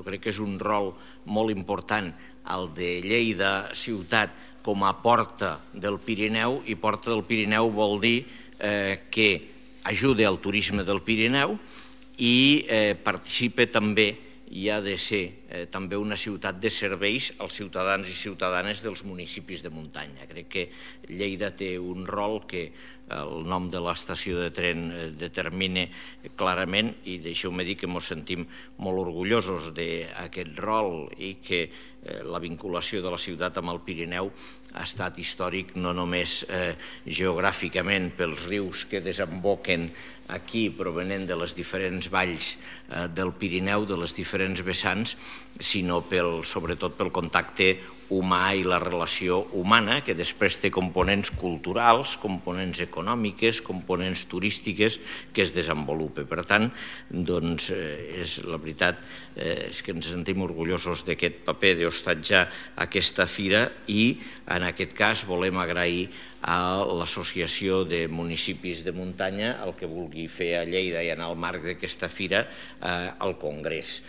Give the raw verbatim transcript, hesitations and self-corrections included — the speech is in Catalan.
crec que és un rol molt important el de Lleida ciutat com a porta del Pirineu, i porta del Pirineu vol dir que ajuda al turisme del Pirineu i participa també, i ha de ser també una ciutat de serveis als ciutadans i ciutadanes dels municipis de muntanya. Crec que Lleida té un rol que el nom de l'estació de tren determina clarament, i deixeu-me dir que ens sentim molt orgullosos d'aquest rol i que la vinculació de la ciutat amb el Pirineu ha estat històric no només geogràficament pels rius que desemboquen aquí provenent de les diferents valls del Pirineu, de les diferents vessants, sinó sobretot pel contacte humà i la relació humana, que després té components culturals, components econòmiques, components turístiques que es desenvolupen. Per tant, doncs, la veritat és que ens sentim orgullosos d'aquest paper d'hostatjar aquesta fira, i en aquest cas volem agrair a l'Associació de Municipis de Muntanya el que vulgui fer a Lleida i en el marc d'aquesta fira al Congrés.